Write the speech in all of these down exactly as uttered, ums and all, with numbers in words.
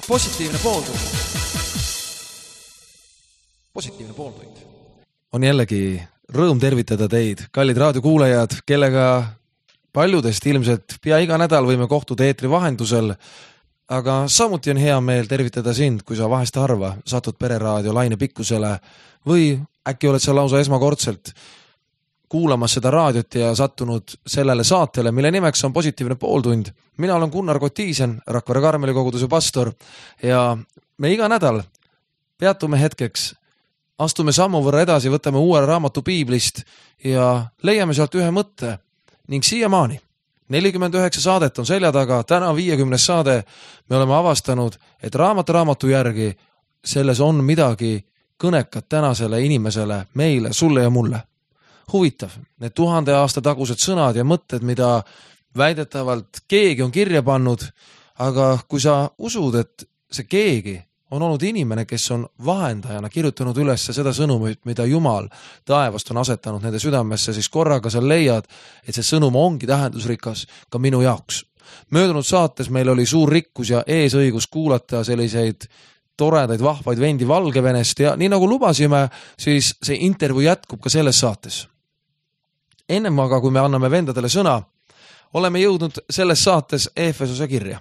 Positiivne pooltund. Positiivne pooltund. On jällegi rõõm tervitada teid, kallid raadiokuulajad, kellega paljudest ilmselt pea iga nädal võime kohtuda eetri vahendusel, aga samuti on hea meel tervitada sind, kui sa vahest harva satud Pereraadio laine pikkusele või äkki oled sa lausa esmakordselt kuulamas seda raadiot ja sattunud sellele saatele, mille nimeks on Positiivne pooltund. Mina olen Gunnar Kotiisen, Rakvere Karmeli koguduse pastor ja me iga nädal peatume hetkeks, astume sammu võrra edasi, võtame uue raamatu piiblist ja leiame sealt ühe mõtte ning siiamaani. nelikümmend üheksa saadet on selja taga, täna viiekümnes saade me oleme avastanud, et raamat raamatu järgi selles on midagi kõnekat tänasele inimesele, meile, sulle ja mulle. Huvitav, need tuhande aasta tagused sõnad ja mõtted, mida väidetavalt keegi on kirja pannud, aga kui sa usud, et see keegi on olnud inimene, kes on vahendajana kirjutanud üles seda sõnumit, mida Jumal taevast on asetanud nende südamesse, siis korraga sa leiad, et see sõnum ongi tähendusrikas ka minu jaoks. Möödunud saates meil oli suur rikkus ja eesõigus kuulata selliseid toredaid, vahvaid vendi Valgevenest ja nii nagu lubasime, siis see intervjuu jätkub ka selles saates. Ennem aga, kui me anname vendadele sõna, oleme jõudnud selles saates Efesose kirja.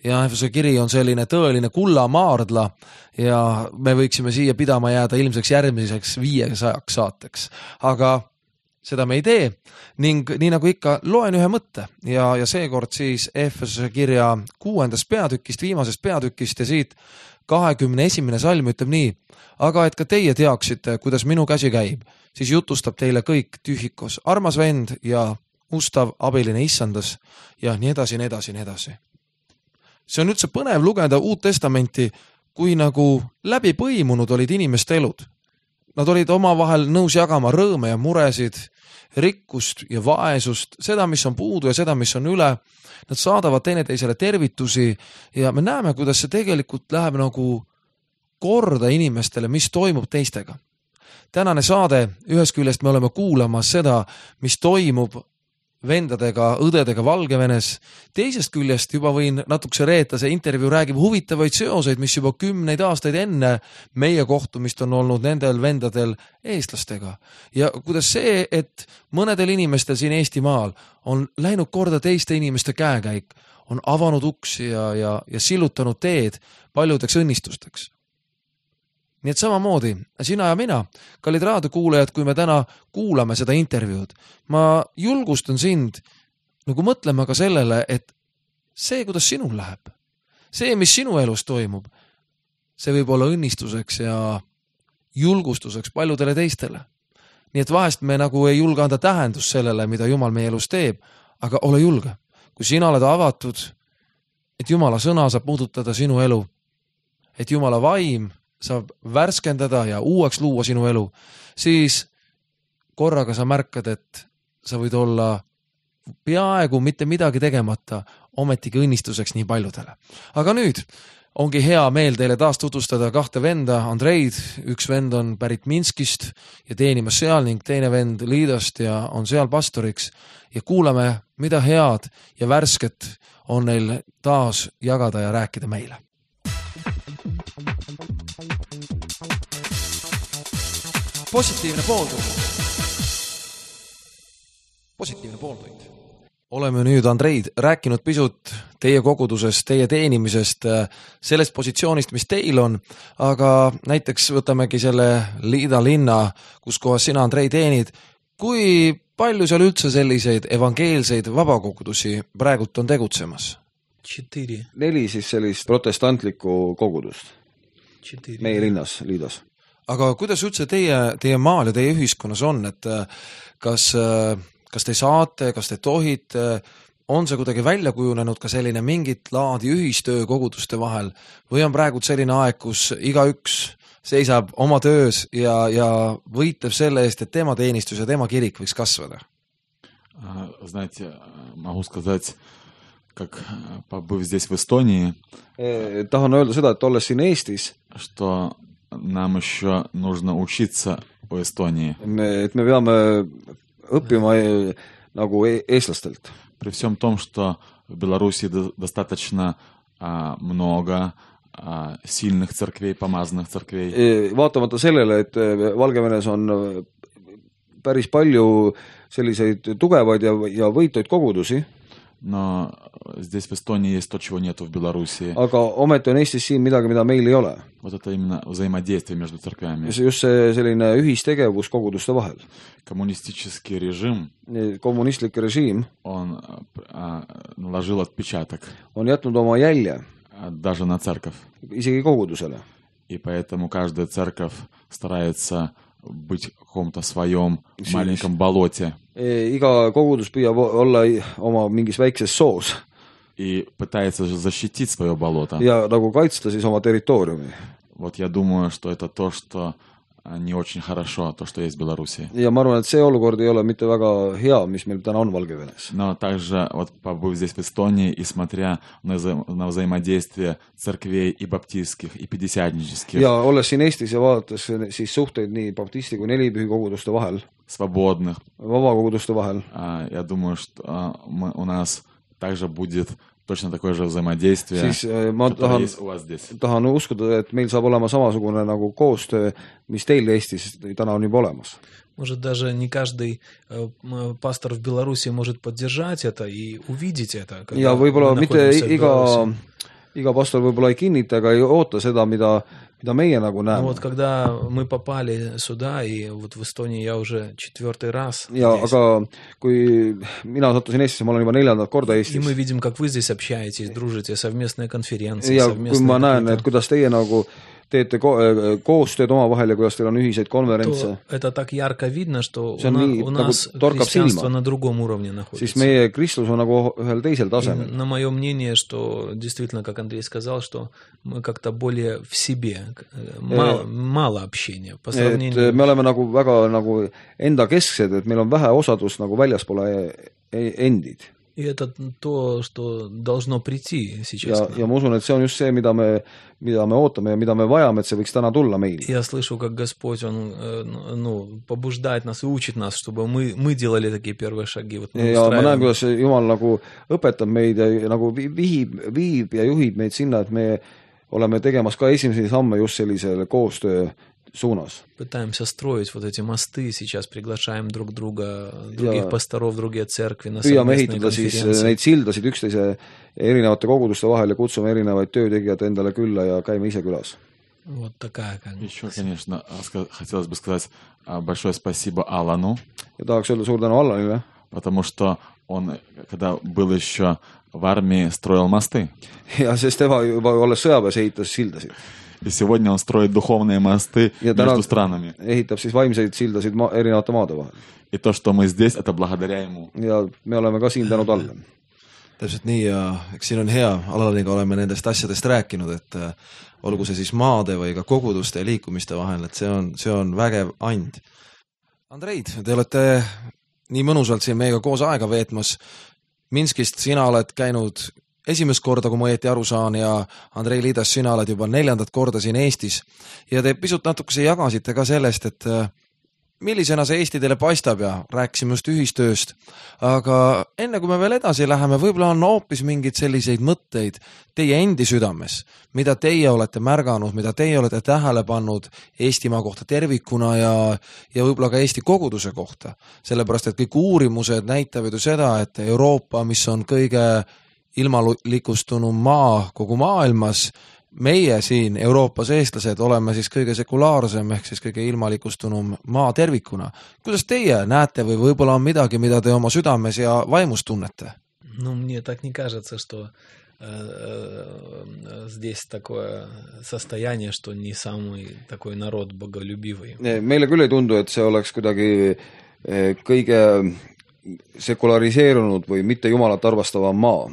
Ja Efesose kiri on selline tõeline kullamaardla ja me võiksime siia pidama jääda ilmseks järgmiseks viiesajaks saateks. Aga seda me ei tee ning nii nagu ikka loen ühe mõtte ja, ja seekord siis Efesose kirja kuuendast peatükist, viimasest peatükist ja siit kahekümne esimene salm ütleb nii, aga et ka teie teaksite, kuidas minu käsi käib, siis jutustab teile kõik tühikos, armas vend ja ustav abiline issandas ja nii edasi, nii edasi, nii edasi. See on üldse põnev lugeda Uut Testamenti, kui nagu läbi põimunud olid inimeste elud. Nad olid omavahel nõus jagama rõõme ja muresid, rikkust ja vaesust, seda, mis on puudu ja seda, mis on üle. Nad saadavad teineteisele tervitusi ja me näeme, kuidas see tegelikult läheb nagu korda inimestele, mis toimub teistega. Tänane saade, ühes küljest me oleme kuulamas seda, mis toimub vendadega, õdedega Valgevenes. Teisest küljest juba võin natukese reeta, see intervjuu räägib huvitavaid seoseid, mis juba kümneid aastaid enne meie kohtumist on olnud nendel vendadel eestlastega. Ja kuidas see, et mõnedel inimestel siin Eestimaal on läinud korda teiste inimeste käekäik, on avanud uksi ja, ja, ja sillutanud teed paljudeks õnnistusteks. Nii et samamoodi, sina ja mina, kallid raadiokuulajad, kui me täna kuulame seda intervjuud, ma julgustan sind nagu mõtlema ka sellele, et see, kuidas sinul läheb, see, mis sinu elus toimub, see võib olla õnnistuseks ja julgustuseks paljudele teistele. Nii et vahest me nagu ei julge anda tähendus sellele, mida Jumal meie elus teeb, aga ole julge. Kui sina oled avatud, et Jumala sõna saab muututada sinu elu, et Jumala vaim saab värskendada ja uueks luua sinu elu, siis korraga sa märkad, et sa võid olla peaaegu mitte midagi tegemata, ometigi õnnistuseks nii paljudele. Aga nüüd ongi hea meel teile taas tutvustada kahte venda, Andreid, üks vend on pärit Minskist ja teenimas seal ning teine vend Liidost ja on seal pastoriks ja kuulame, mida head ja värsket on neil taas jagada ja rääkida meile. Positiivne pooltund. Positiivne pooltund. Oleme nüüd, Andreid, rääkinud pisut teie kogudusest, teie teenimisest, sellest positsioonist, mis teil on, aga näiteks võtamegi selle Liida linna, kus kohas sina, Andrei, teenid. Kui palju seal üldse selliseid evangeelseid vabakogudusi praegult on tegutsemas? Četiri. Neli siis sellist protestantlikku kogudust Četiri. Meie linnas, Liidas. Aga kuidas üldse teie, teie maal ja teie ühiskonnas on, et kas, kas te saate, kas te tohite, on see kuidagi välja kujunenud ka selline mingit laadi ühistöö koguduste vahel või on praegu selline aeg, kus igaüks seisab oma töös ja, ja võitleb selle eest, et tema teenistus ja tema kirik võiks kasvada? Знаете, могу сказать, как побыв здесь в Эстонии, tahan öelda seda, et olles siin Eestis, что нам еще нужно учиться у Эстонии. Et me peame õppima nagu eestlastelt. при всем том, что в Беларуси достаточно а, много а, сильных церквей, помазанных церквей. Vaatamata sellele, et Valgevenes on päris palju selliseid tugevaid ja, ja võituid kogudusi. Но здесь в Эстонии есть то, чего нету в Беларуси. Aga ometi on Eestis siin midagi, mida meil ei ole. Вот это именно взаимодействие между церквями. Just see selline ühistegevus koguduste vahel. Коммунистический режим, kommunistlik režiim он а, наложил отпечаток. On jätnud oma jälje. Даже на церковь. Isegi kogudusele. И поэтому каждая церковь старается быть в каком-то своем маленьком болоте. Iga kogudus püüab olla oma mingis väikses soos. И пытается защитить свое болото. Ja nagu kaitsta siis oma territooriumi. Вот я думаю, что это то, что не очень хорошо, то, что есть в Беларуси. Ja ma arvan, et see olukord ei ole mitte väga hea, mis meil täna on Valgevenes. Но также, вот побыв здесь в Эстонии и смотря на, вза- на взаимодействие церквей и баптистских, и пятидесятнических. Ja olles siin Eestis ja vaadates siis suhteid nii baptisti kui nelipühi koguduste vahel. Свободных. Vabakoguduste vahel. Я думаю, что мы, у нас также будет точно такое же взаимодействие, siis ma tahan, tahan uskuda, et meil saab olema samasugune nagu koostöö, mis teil Eestis täna on juba olemas. Может, даже не каждый э, пастор в Беларуси может поддержать это и увидеть это. Ja võib-olla mitte iga, iga pastor võib-olla ei kinnita ega ei oota seda, mida mida meie nagu näeme. Ну вот когда мы попали сюда, и вот в Эстонии я уже четвертый раз ja, здесь. Aga kui mina sattusin Eestisse, ma olen juba neljandat korda Eestis. И мы видим, как вы здесь общаетесь, дружите, совместные конференции, ja, совместные... kui ma näen, et kuidas teie nagu teete ko- koostööd omavahel ja kuidas teil on ühiseid konverentse. Это так ярко видно, что у, на, у нас nagu христианство на другом уровне находится. Siis meie kristlus on nagu ühel teisel tasemel. На мое мнение, что действительно, как Андрей сказал, что мы как-то более в себе, мало, мало общения по сравнению... Et me oleme nagu väga nagu enda kesksed, et meil on vähe osadust nagu väljaspoole endid. И это то, что должно прийти сейчас. Ja, ja ma usun, et see on just see, mida me, mida me ootame ja mida me vajame, et see võiks täna tulla meil. Я слышу, как Господь, Он ну, побуждает нас и учит нас, чтобы мы, мы делали такие первые шаги. Вот ja ma näen, kuidas Jumal nagu õpetab meid ja nagu viib, viib ja juhib meid sinna, et me oleme tegemas ka esimesi samme just sellisele koostöö suunas. Пытаемся строить вот эти мосты, сейчас приглашаем друг друга, других ja, pastorov, другие церкви на совместные конференции. Siis neid sildasid üksteise erinevate koguduste vahel ja kutsume erinevaid töötegijad endale külla ja käime ise külas. Вот такая, как... Еще, конечно, хотелось бы сказать большое спасибо Алану. Ja tahaks öelda suur tänu Allanile. Потому что он, когда был еще в армии, строил мосты. Ja sest tema juba olles sõjaväes ehitas sildasid. И сегодня он строит духовные мосты ja между странами. Ehitab siis vaimseid sildasid ma- erinevate maade vahel. И то, что мы здесь, это благодаря ему. Ja me oleme ka siin tänu talle. Täpselt nii ja eks siin on hea, Alaniga oleme nendest asjadest rääkinud, et äh, olgu see siis maade või ka koguduste ja liikumiste vahel, et see on, see on vägev and. Andreid, te olete nii mõnusalt siin meiega koos aega veetmas. Minskist sina oled käinud esimest korda, kui ma õieti aru saan, ja Andrei Liidas, sina oled juba neljandat korda siin Eestis. Ja te pisut natukese jagasite ka sellest, et millisena see Eesti teile paistab ja rääkisime just ühistööst. Aga enne kui me veel edasi läheme, võib-olla on hoopis mingid selliseid mõtteid teie endi südames, mida teie olete märganud, mida teie olete tähele pannud Eestimaa kohta tervikuna ja, ja võib-olla ka Eesti koguduse kohta. Sellepärast, et kõik uurimused näitavad ju seda, et Euroopa, mis on kõige ilmalikustunum maa kogu maailmas, meie siin Euroopas eestlased oleme siis kõige sekulaarsem ehk siis kõige ilmalikustunum maa tervikuna. Kuidas teie näete või võib-olla on midagi, mida te oma südames ja vaimus tunnete? Ну, мне так не кажется, что э, э, здесь такое состояние, что не самый такой народ боголюбивый. Meile küll ei tundu, et see oleks kuidagi kõige sekulariseerunud või mitte jumalat arvastavam maa.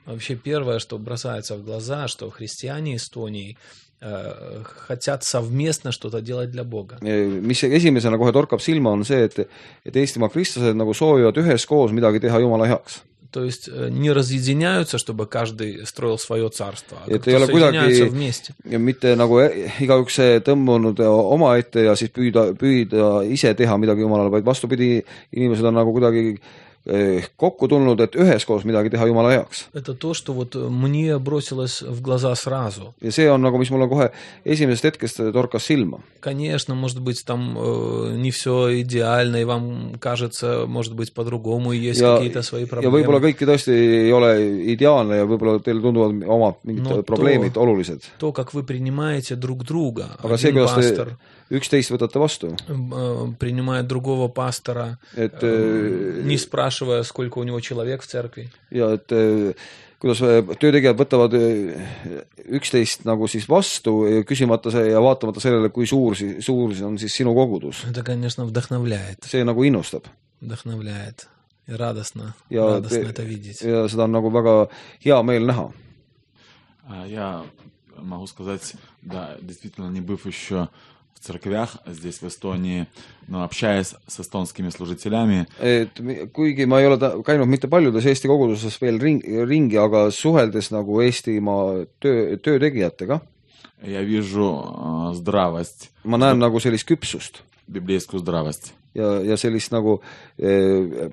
Вообще первое, что бросается в глаза, что христиане Эстонии э, хотят совместно что-то делать для Бога. Mis esimesena kohe torkab silma on see, et, et Eestimaa kristlased nagu soovivad üheskoos midagi teha Jumala heaks. То есть не разъединяются, чтобы каждый строил свое царство, а et ei ole kuidagi mitte nagu igaüks tõmbunud oma ette ja siis püüda, püüda ise teha midagi Jumalale, vaid vastupidi, inimesed on nagu kuidagi kokku tulnud, et üheskoos midagi teha Jumala heaks. Это то, что вот мне бросилось в глаза сразу. Ja see on nagu, mis mulle kohe esimesest hetkest torkas silma. Конечно, может быть, там э, не все идеально, и вам кажется, может быть, по-другому, и есть ja, какие-то свои ja проблемы. võib-olla kõik tõesti ei ole ideaalne ja võib-olla teil tunduvad omad mingid No probleemid to, olulised. То, как вы принимаете друг друга. Aga see, Один kuidas пастор te üksteist võtate vastu. э, принимает другого пастора, Et, э, не спрашивая, сколько у него человек в церкви. ja et kuidas töötegijad võtavad üksteist nagu siis vastu, küsimata see ja vaatamata sellele, kui suur, suur on siis sinu kogudus. Это, конечно, вдохновляет. See nagu innustab. Вдохновляет. И радостно, ja, радостно это видеть. Ja seda on nagu väga hea meel näha. Я могу сказать, да, действительно, не быв еще в церквях здесь, в Эстонии, но общаясь с эстонскими служителями. Et kuigi ma ei ole ta, käinud mitte paljudes Eesti koguduses veel ring, ringi, aga suheldes nagu Eestimaa töö, töötegijatega, я vижу здравость. ma näen nagu sellist küpsust. Библейскую здравость. Ja, ja sellist nagu, eh,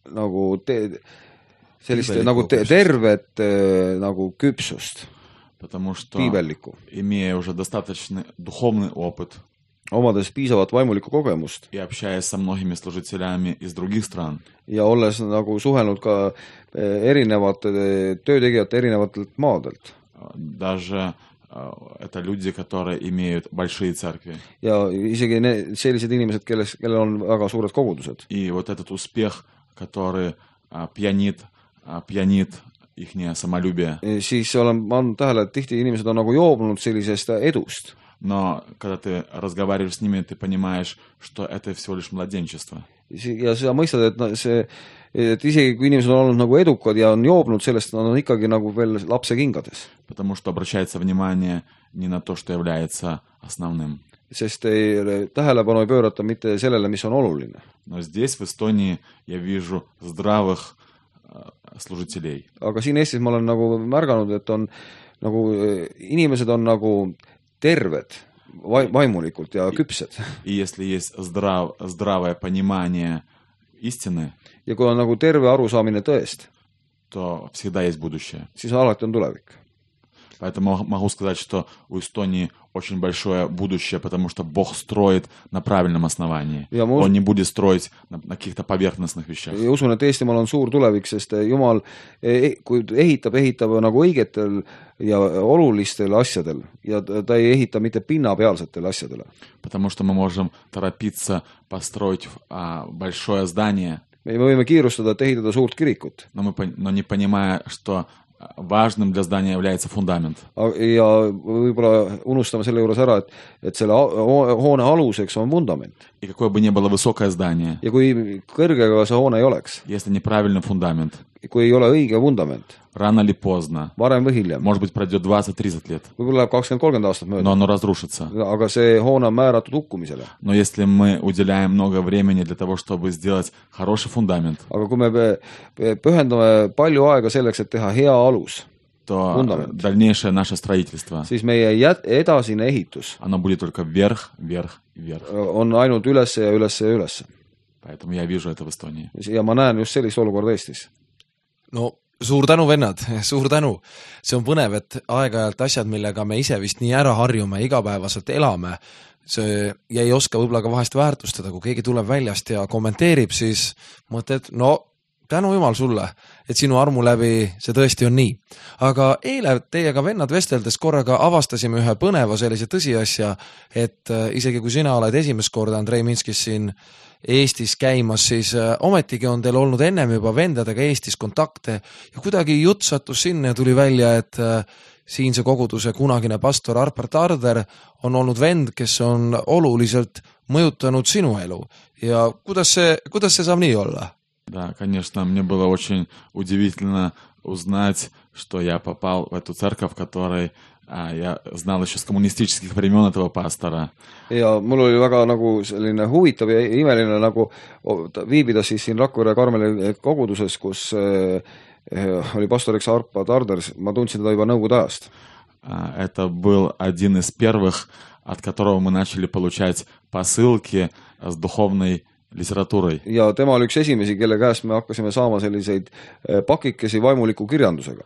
nagu te, sellist Piibeliku nagu te, tervet eh, nagu küpsust. Потому что, Piibeliku. имея уже достаточный духовный опыт, omades piisavat vaimulikku kogemust и общаясь со многими служителями из других стран, ja olles nagu suhelnud ka erinevate töötegijate erinevatelt maadelt. Даже это люди, которые имеют большие церкви. Ja isegi ne, sellised inimesed, kelles, kellel on väga suured kogudused. И вот этот успех, который пьянит, пьянит ихнее самолюбие. Siis olen ma andnud tähele, et tihti inimesed on nagu joobnud sellisest edust. Но когда ты разговариваешь с ними, ты понимаешь, что это всего лишь младенчество. Ja sa mõistad, et, see, et isegi kui inimesed on olnud nagu edukad ja on joobnud sellest, nad on ikkagi nagu veel lapse kingades. Потому что обращается внимание не на то, что является основным. Sest ei, tähelepanu ei pöörata mitte sellele, mis on oluline. Но здесь, в Эстонии, я вижу здравых служителей. Aga siin Eestis ma olen nagu märganud, et on nagu inimesed on nagu terved vaimulikult ja küpsed. И если есть здрав, здравое понимание истины, ja kui on nagu terve arusaamine tõest, то всегда есть будущее. Siis alati on tulevik. Поэтому могу сказать, что у Эстонии очень большое будущее, потому что Бог строит на правильном основании. Ja Он не будет строить на, на каких-то поверхностных вещах. Ja usun, et Eestimaal on suur tulevik, sest Jumal, kui ehitab, ehitab nagu õigetel ja olulistel asjadel ja ta ei ehita mitte pinnapealsetele asjadele. Потому что мы можем торопиться построить а, большое здание. Me võime kiirustada, et ehitada suurt kirikut. Но, мы, но не понимая, что важным для здания является фундамент. Ja võib-olla unustame selle juures ära, et, et selle hoone aluseks on vundament. И какое бы ни было высокое здание, ja kui kõrgega see hoone ei oleks, если неправильный фундамент, kui ei ole õige vundament, рано или поздно, varem või hiljem, может быть, пройдет двадцать-тридцать лет, võib-olla läheb kakskümmend kolmkümmend aastat mööda, но оно разрушится. Aga see hoone on määratud hukkumisele. Но если мы уделяем много времени для того, чтобы сделать хороший фундамент, aga kui me pühendame palju aega selleks, et teha hea alus, то фундамент, дальнейшее наше строительство, siis meie edasine ehitus оно будет только вверх, вверх, вверх. on ainult üles ja üles ja üles. Поэтому я вижу это в Эстонии. Ja ma näen just sellist olukorda Eestis. No suur tänu, vennad, suur tänu. See on põnev, et aeg-ajalt asjad, millega me ise vist nii ära harjume, igapäevaselt elame, see, ja ei oska võib-olla ka vahest väärtustada, kui keegi tuleb väljast ja kommenteerib, siis mõtled, no tänu jumal sulle, et sinu armu läbi see tõesti on nii. Aga eile teiega vennad vesteldes korraga avastasime ühe põneva sellise tõsiasja, et isegi kui sina oled esimest korda Andrei Minskis siin Eestis käimas, siis ometigi on teil olnud ennem juba vendadega Eestis kontakte ja kuidagi jutt sattus sinna ja tuli välja, et siinse koguduse kunagine pastor Arpart Arder on olnud vend, kes on oluliselt mõjutanud sinu elu. Ja kuidas see, kuidas see saab nii olla? Да, конечно, мне было очень удивительно узнать, что я попал в эту церковь, в которой а, я знал еще с коммунистических времен этого пастора. Ja mul oli väga nagu selline huvitav ja imeline nagu viibida siis siin Rakvere Karmeli koguduses, kus äh, oli pastoriks Arpad Arder, ma tundsin teda juba nõukogude ajast. Это был один из первых, от которого мы начали получать посылки с духовной литературой. ja tema oli üks esimesi, kelle käest me hakkasime saama selliseid pakikesi vaimuliku kirjandusega.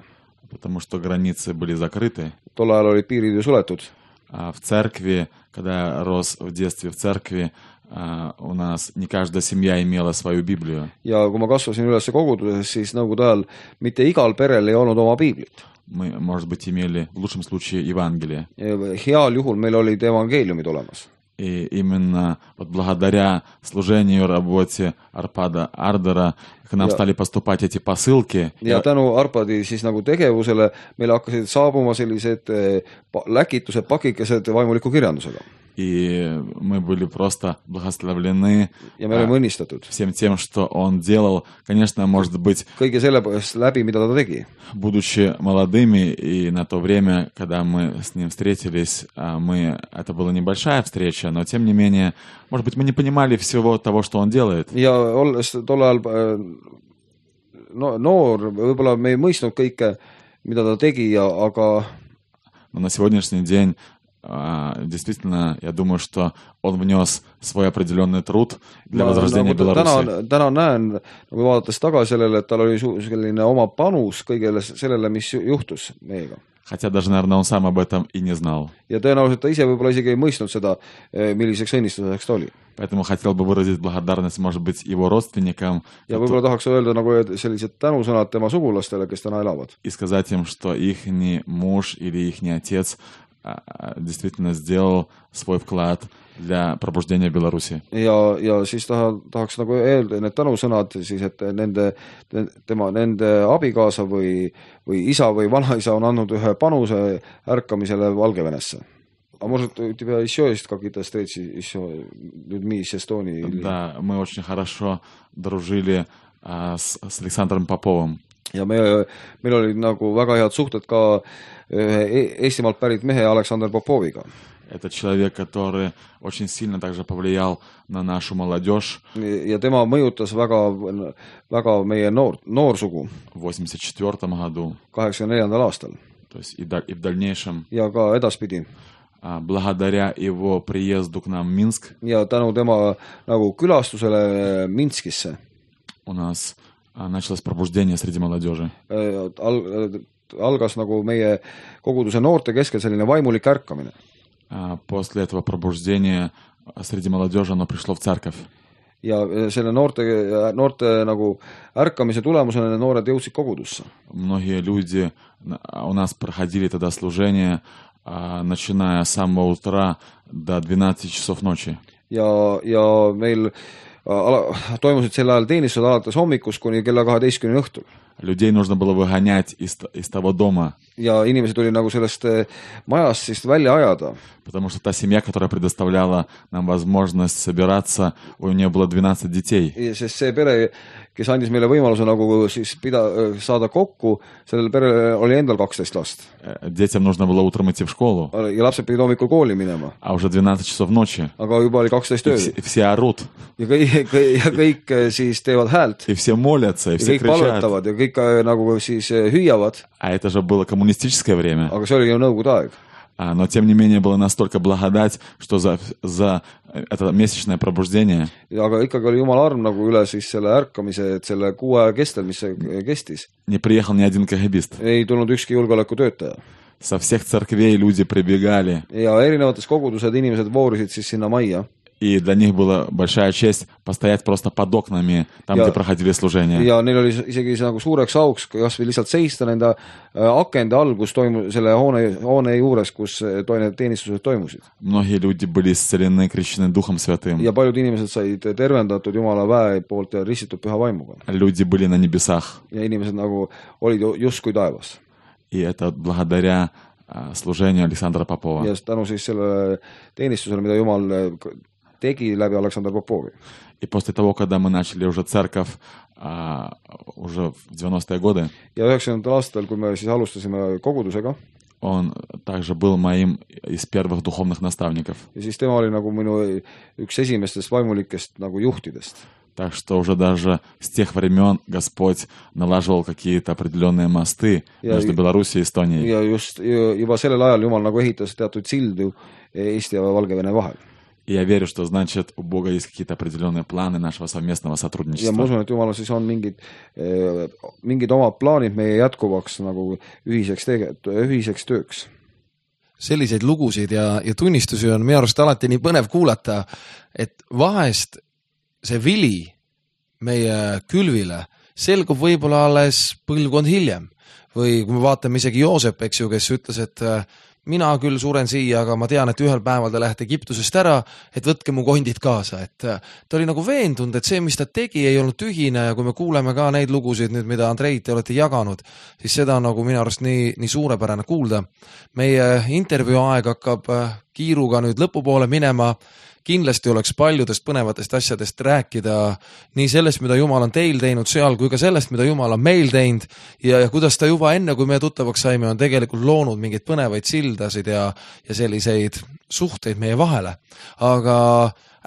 Потому что границы были закрыты. Tol ajal olid piirid ju suletud. А в церкви, когда я рос в детстве в церкви, а, у нас не каждая семья имела свою Библию. Ja kui ma kasvasin üles koguduses, siis nõukogude ajal mitte igal perel ei olnud oma piiblit. Мы, может быть, имели в лучшем случае Евангелие. Heal juhul meil olid evangeeliumid olemas. И именно вот благодаря служению и работе Арпада Ардера к нам Ja- стали поступать эти посылки. ja tänu Arpadi siis nagu tegevusele meile hakkasid saabuma sellised eh, pa- läkitused, pakikesed vaimuliku kirjandusega. И мы были просто благословлены Ja me olime õnnistatud. всем тем, что он делал. Конечно, может быть, Kõige selle läbi, mida ta tegi. будучи молодыми, и на то время, когда мы с ним встретились, а, мы, это была небольшая встреча, но тем не менее, может быть, мы не понимали всего того, что он делает. Ja olles tol ajal eh, no, noor, võib-olla me ei mõistnud kõike, mida ta tegi, ja, aga Но на сегодняшний день а, действительно, я думаю, что он внес свой определенный труд для ma возрождения nagu Беларуси. täna, täna näen, nagu vaadates tagasi sellele, et tal oli su- selline oma panus kõigele sellele, mis ju- juhtus meiega. Хотя даже, наверное, он сам об этом и не знал. Ja tõenäoliselt ta ise võib-olla isegi ei mõistnud seda, eh, milliseks õnnistuseks ta oli. Поэтому хотел бы выразить благодарность, может быть, его родственникам Ja võib-olla tahaks öelda nagu sellised tänusõnad tema sugulastele, kes täna elavad. и сказать им, что их муж или их отец а, а, действительно сделал свой вклад для пробуждения Беларуси. Ja, ja siis taha, tahaks nagu öelda need tänusõnad siis, et nende, tema, nende abikaasa või, või isa või vanaisa on andnud ühe panuse ärkamisele Valgevenesse. А может, у тебя еще есть какие-то встречи еще людьми из Эстонии? или- Да, мы очень хорошо дружили а, с, с Александром Поповым. Ja me, meil olid nagu väga head suhted ka ühe Eestimaalt pärit mehe Aleksander Popoviga. Это человек, который очень сильно также повлиял на нашу молодежь Ja tema mõjutas väga, väga meie noor, noorsugu в восемьдесят четвёртом году, kaheksakümne neljandal aastal то есть и, да- и в дальнейшем. ja ka edaspidi. А, благодаря его приезду к нам в Минск Ja tänu tema nagu külastusele Minskisse у нас а, началось пробуждение среди молодежи. äh, al, algas nagu meie koguduse noorte keskel selline vaimulik ärkamine. А, после этого пробуждения а, среди молодежи оно пришло в церковь. Ja selle noorte, noorte nagu ärkamise tulemusena need noored jõudsid kogudusse. Многие люди на- у нас проходили тогда служение, а, начиная с самого утра до двенадцати часов ночи. Ja, ja meil ala, toimusid sel ajal teenistused alates hommikust kuni kella kaheteistkümne õhtul. Людей нужно было выгонять из, т- из того дома, Ja inimesed tuli nagu sellest eh, majast siis välja ajada. потому что та семья, которая предоставляла нам возможность собираться, у нее было двенадцать детей. Sest see pere, kes andis meile võimaluse nagu siis pida, saada kokku, sellel perel oli endal kaksteist last. Э, Детям нужно было утром идти в школу, Ja lapsed pidid hommikul kooli minema. а уже двенадцать часов ночи. Aga juba oli kaksteist И ööd. все, и все орут, Ja kõik, kõik, ja kõik eh, siis teevad häält. и все молятся, и Ja все kõik кричат. palvetavad ja kõik eh, nagu siis eh, hüüavad. А это же было коммунистическое время. Aga see oli ju nõukogude aeg. А, но тем не менее была настолько благодать, что за, за это месячное пробуждение Aga ikkagi oli Jumala arm nagu üle siis selle ärkamise, et selle kuu aja kestel, mis see kestis, не приехал ни один кагибист. ei tulnud ükski julgeolekutöötaja. Со всех церквей люди прибегали, Ja erinevates kogudused inimesed voorisid siis sinna majja. и для них была большая честь постоять просто под окнами, там, Ja- где проходили служения. Ja neil oli isegi nagu suureks auks kas või lihtsalt seista nende äh, akende all, kus toimu-, selle hoone, hoone juures, kus äh, to- need teenistused toimusid. Многие люди были исцелены, крещены Духом Святым. Ja paljud inimesed said tervendatud Jumala väe poolt ja ristitud püha vaimuga. Люди были на небесах. Ja inimesed nagu olid ju- justkui taevas. И это благодаря а, служению Александра Попова. Ja tänu siis sellele teenistusele, mida Jumal äh, tegi läbi Aleksander Popovi. И после того, когда мы начали уже церковь а, уже в девяностые годы, Ja üheksakümnendatel aastatel, kui me siis alustasime kogudusega, он также был моим из первых духовных наставников. ja siis tema oli nagu minu üks esimestest vaimulikest nagu juhtidest. Так что уже даже с тех времен Господь налаживал какие-то определенные мосты Я- между Белоруссией и Эстонией. Ja just juba sellel ajal Jumal nagu ehitas teatud sildu Eesti ja Valgevene vahel. И я верю, что значит у Бога есть какие-то определенные планы нашего совместного ja сотрудничества. ma usun, et Jumalal siis on mingid, mingid omad plaanid meie jätkuvaks nagu ühiseks, tege, ühiseks tööks. Selliseid lugusid ja, ja tunnistusi on minu arust alati nii põnev kuulata, et vahest see vili meie külvile selgub võib-olla alles põlvkond hiljem. Või kui me vaatame isegi Joosep, eks ju, kes ütles, et mina küll suren siia, aga ma tean, et ühel päeval te lähete Egiptusest ära, et võtke mu kondid kaasa. Et ta oli nagu veendunud, et see, mis ta tegi, ei olnud tühine ja kui me kuuleme ka neid lugusid nüüd, mida Andrei te olete jaganud, siis seda on nagu minu arust nii, nii suurepärane kuulda. Meie intervjuu aeg hakkab kiiruga nüüd lõpupoole minema. Kindlasti oleks paljudest põnevatest asjadest rääkida nii sellest, mida Jumal on teil teinud seal, kui ka sellest, mida Jumal on meil teinud ja, ja kuidas ta juba enne, kui me tuttavaks saime, on tegelikult loonud mingeid põnevaid sildasid ja, ja selliseid suhteid meie vahele. Aga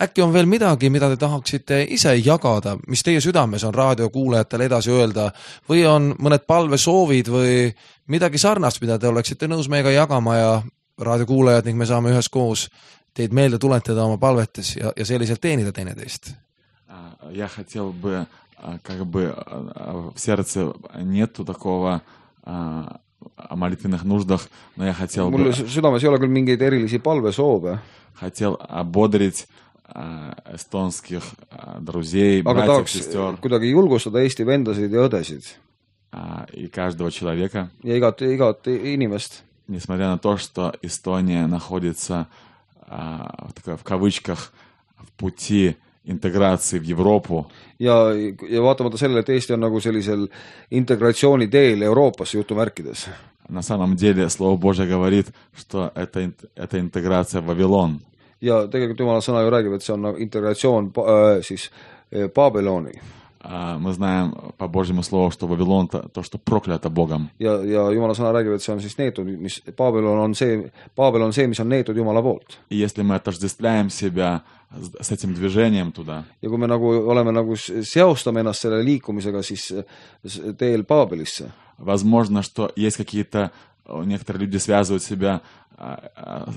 äkki on veel midagi, mida te tahaksite ise jagada, mis teie südames on raadiokuulajatele edasi öelda või on mõned palvesoovid või midagi sarnast, mida te oleksite nõus meiega jagama ja raadiokuulajad ning me saame üheskoos teid meelde tuletada oma palvetes ja, ja selliselt teenida teineteist. Я хотел бы, как бы в сердце нету такого о молитвенных нуждах, но я хотел Mul бы... südames ei ole küll mingeid erilisi palvesoove. Хотел ободрить эстонских друзей, Aga братьев, tahaks сестер kuidagi julgustada Eesti vendasid ja õdesid и каждого человека, ja igat, igat inimest. несмотря на то, что Эстония находится в кавычках в пути интеграции в Европу. Ja, ja vaatamata sellele, et Eesti on nagu sellisel integratsiooni teel Euroopasse jutumärkides. На самом деле Слово Божье говорит, что это, это интеграция в Вавилон. Ja tegelikult Jumala sõna ju räägib, et see on integratsioon äh, siis Babyloni. Мы знаем по Божьему Слову, что Вавилон то, то, что проклято Богом. Ja, ja Jumala sõna räägib, et see on siis neetud, mis Babylon on see, Babylon on see, mis on neetud Jumala poolt. И если мы отождествляем себя с этим движением туда, ja kui me nagu oleme nagu seostame ennast selle liikumisega siis teel Babelisse, возможно, что есть какие-то, некоторые люди связывают себя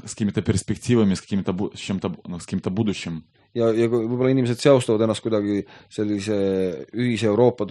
с какими-то перспективами, с каким-то, с чем-то, ну, с каким-то будущим. Ja, ja võib-olla inimesed seostavad ennast kuidagi sellise ühise Euroopa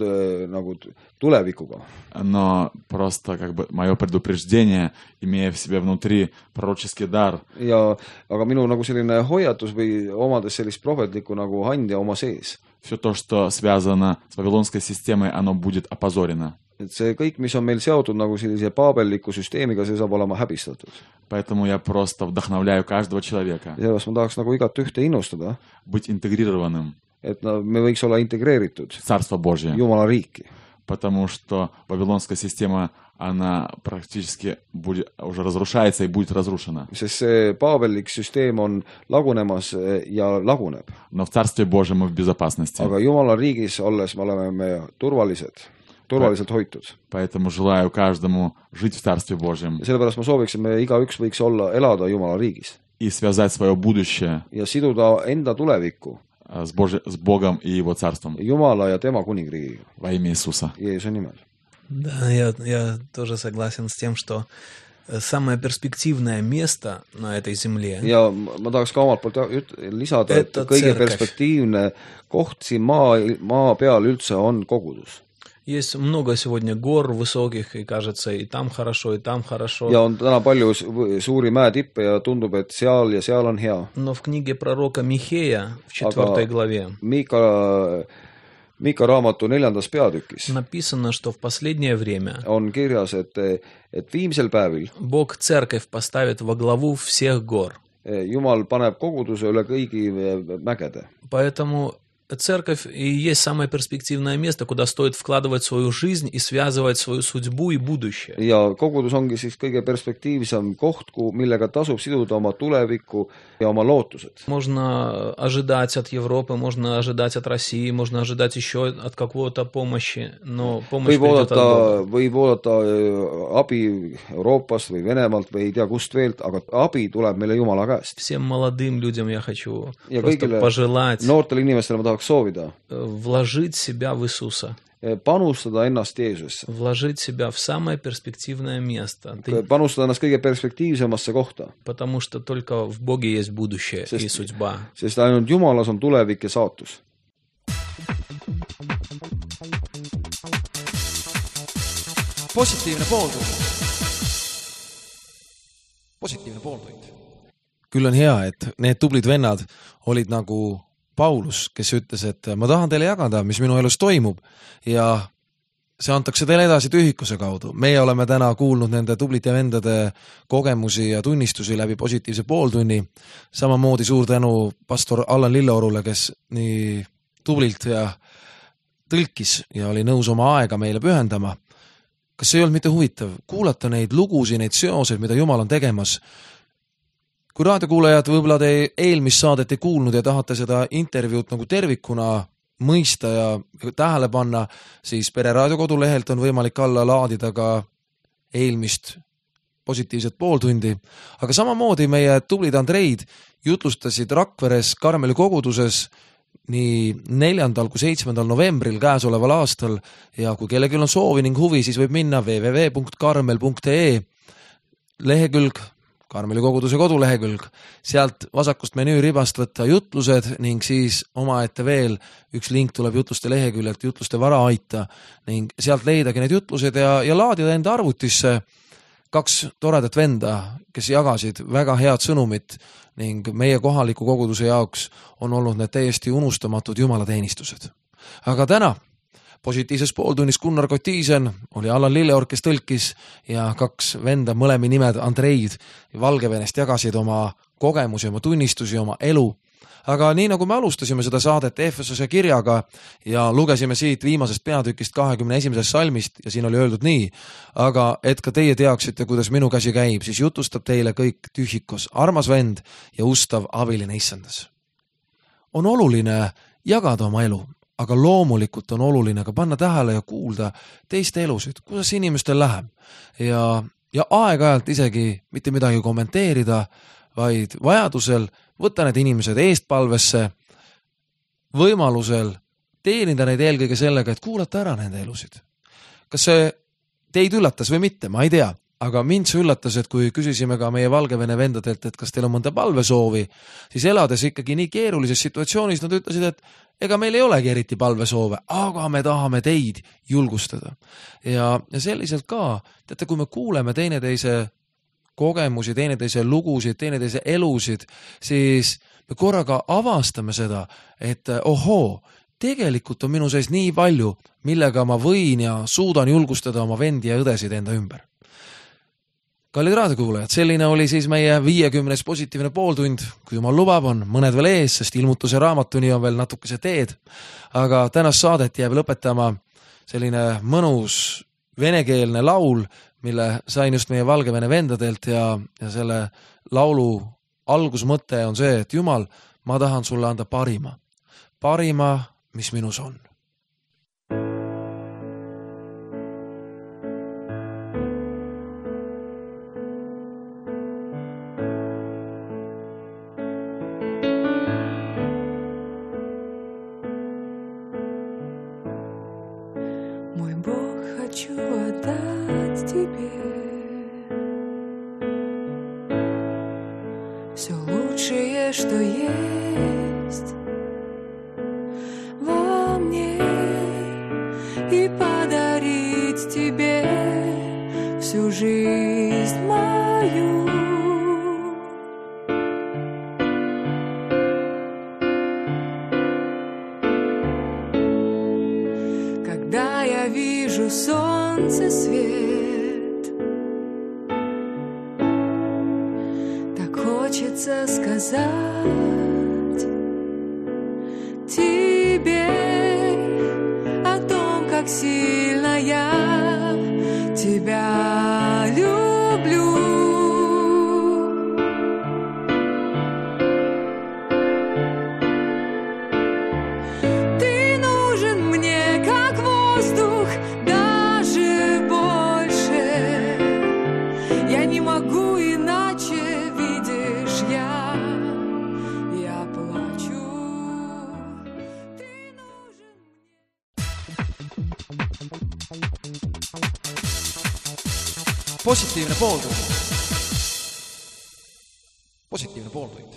nagu tulevikuga. Но просто как бы мое предупреждение, имея в себе внутри пророческий дар. Ja, aga minu nagu selline hoiatus või omades sellist prohvetlikku nagu handja oma sees. Все то, что связано с вавилонской системой, оно будет опозорено. Et see kõik, mis on meil seotud nagu sellise paabelliku süsteemiga, see saab olema häbistatud. Поэтому я просто вдохновляю каждого человека. Ja sellepärast ma tahaks nagu igat ühte innustada. Быть интегрированным. Et me võiks olla integreeritud. Царство Божье. Jumala riiki. Потому что вавилонская система, она практически будет, уже разрушается и будет разрушена. Sest see paabellik süsteem on lagunemas ja laguneb. Но в Царстве Божьем мы в безопасности. Aga Jumala riigis olles me oleme me turvalised. turvaliselt hoitud. Поэтому желаю каждому жить в Царстве Божьем. Ja sellepärast ma sooviks, et me igaüks võiks olla, elada Jumala riigis. И связать свое будущее. Ja siduda enda tulevikku. С, Божи... с Богом и Его Царством. Jumala ja tema kuningriigiga. Во имя Иисуса. Jeesuse nimel. Да, я, я тоже согласен с тем, что самое перспективное место на этой земле. Ja ma tahaks ka omalt poolt lisada, et kõige perspektiivne koht siin maa, maa peal üldse on kogudus. Есть много сегодня гор высоких, и кажется, и там хорошо, и там хорошо. Ja on täna palju suuri mäetippe ja tundub, et seal ja seal on hea. Но в книге пророка Михея в четвертой главе Miika, Miika raamatu neljandas peatükis написано, что в последнее время on kirjas, et, et viimsel päevil Бог церковь поставит во главу всех гор. Jumal paneb koguduse üle kõigi mägede. Поэтому церковь и есть самое перспективное место, куда стоит вкладывать свою жизнь и связывать свою судьбу и будущее. Ja kogudus ongi siis kõige perspektiivsem koht, millega tasub siduda oma tulevikku ja oma lootused. Можно ожидать от Европы, можно ожидать от России, можно ожидать еще от какого-то помощи, но помощь võib придет oodata, от Бога. võib oodata abi Euroopast või Venemaalt või ei tea kust veelt, aga abi tuleb meile Jumala käest. Всем молодым людям я хочу ja просто kõigile пожелать noortele inimestele ma tahaks soovida вложить себя в Иисуса. panustada ennast Jeesusesse. Вложить себя в самое перспективное место. Ты... Panustada ennast kõige perspektiivsemasse kohta. Потому что только в Боге есть будущее sest, и судьба. Sest ainult Jumalas on tulevik ja saatus. Positiivne pooltund. Positiivne pooltund. Küll on hea, et need tublid vennad olid nagu Paulus, kes ütles, et ma tahan teile jagada, mis minu elus toimub ja see antakse teile edasi tühikuse kaudu. Meie oleme täna kuulnud nende tublite vendade kogemusi ja tunnistusi läbi positiivse pooltunni. Samamoodi suur tänu pastor Allan Lilleorule, kes nii tublilt ja tõlkis ja oli nõus oma aega meile pühendama. Kas see ei olnud mitte huvitav? Kuulata neid lugusi, neid seoseid, mida Jumal on tegemas. Kui raadiokuulajad võib-olla te eelmist saadet ei kuulnud ja tahate seda intervjuud nagu tervikuna mõista ja tähele panna, siis Pere Raadio kodulehelt on võimalik alla laadida ka eelmist positiivset pooltundi. Aga samamoodi meie tublid Andreid jutlustasid Rakveres Karmeli koguduses nii neljandal kui seitsmendal novembril käesoleval aastal ja kui kellelgi on soovi ning huvi, siis võib minna w w w punkt karmel punkt e lehekülg Karmeli koguduse kodulehekülg. Sealt vasakust menüü ribast võtta jutlused ning siis omaette veel üks link tuleb jutluste leheküljelt jutluste vara aita ning sealt leidagi need jutlused ja, ja laadida enda arvutisse kaks toredat venda, kes jagasid väga head sõnumit ning meie kohaliku koguduse jaoks on olnud need täiesti unustamatud jumalateenistused. Aga täna positiivses pooltunnis Gunnar Kotiisen oli Allan Lilleor, kes tõlkis ja kaks venda, mõlemi nimed Andreid Valgevenest jagasid oma kogemusi, oma tunnistusi, oma elu. Aga nii nagu me alustasime seda saadet Efesose kirjaga ja lugesime siit viimasest peatükist kahekümne esimesest salmist ja siin oli öeldud nii, aga et ka teie teaksite, kuidas minu käsi käib, siis jutustab teile kõik tühikos, armas vend ja ustav abiline issandas. On oluline jagada oma elu. Aga loomulikult on oluline ka panna tähele ja kuulda teiste elusid, kuidas inimestel läheb ja, ja aeg-ajalt isegi mitte midagi kommenteerida, vaid vajadusel võtta need inimesed eestpalvesse, võimalusel teenida neid eelkõige sellega, et kuulata ära nende elusid. Kas see teid üllatas või mitte, ma ei tea, aga mind see üllatas, et kui küsisime ka meie Valgevene vendadelt, et kas teil on mõnda palvesoovi, siis elades ikkagi nii keerulises situatsioonis nad ütlesid, et ega meil ei olegi eriti palvesoove, aga me tahame teid julgustada. Ja, ja selliselt ka, teate, kui me kuuleme teineteise kogemusi, teineteise lugusid, teineteise elusid, siis me korraga avastame seda, et ohoo, tegelikult on minu sees nii palju, millega ma võin ja suudan julgustada oma vendi ja õdesid enda ümber. Kallid raadiokuulajad, selline oli siis meie viiekümnes positiivne pooltund, kui Jumal lubab, on mõned veel ees, sest ilmutuse raamatuni on veel natukese teed, aga tänast saadet jääb lõpetama selline mõnus venekeelne laul, mille sain just meie Valgevene vendadelt ja, ja selle laulu algusmõte on see, et Jumal, ma tahan sulle anda parima, parima, mis minus on. Что есть во мне, и подарить тебе всю жизнь мою. Когда я вижу солнце свет, так хочется сказать тебе о том, как сильно я тебя люблю. Ты нужен мне, как воздух, даже больше. Я не могу иначе, видишь, я positiivne pooltund. positiivne pooltund.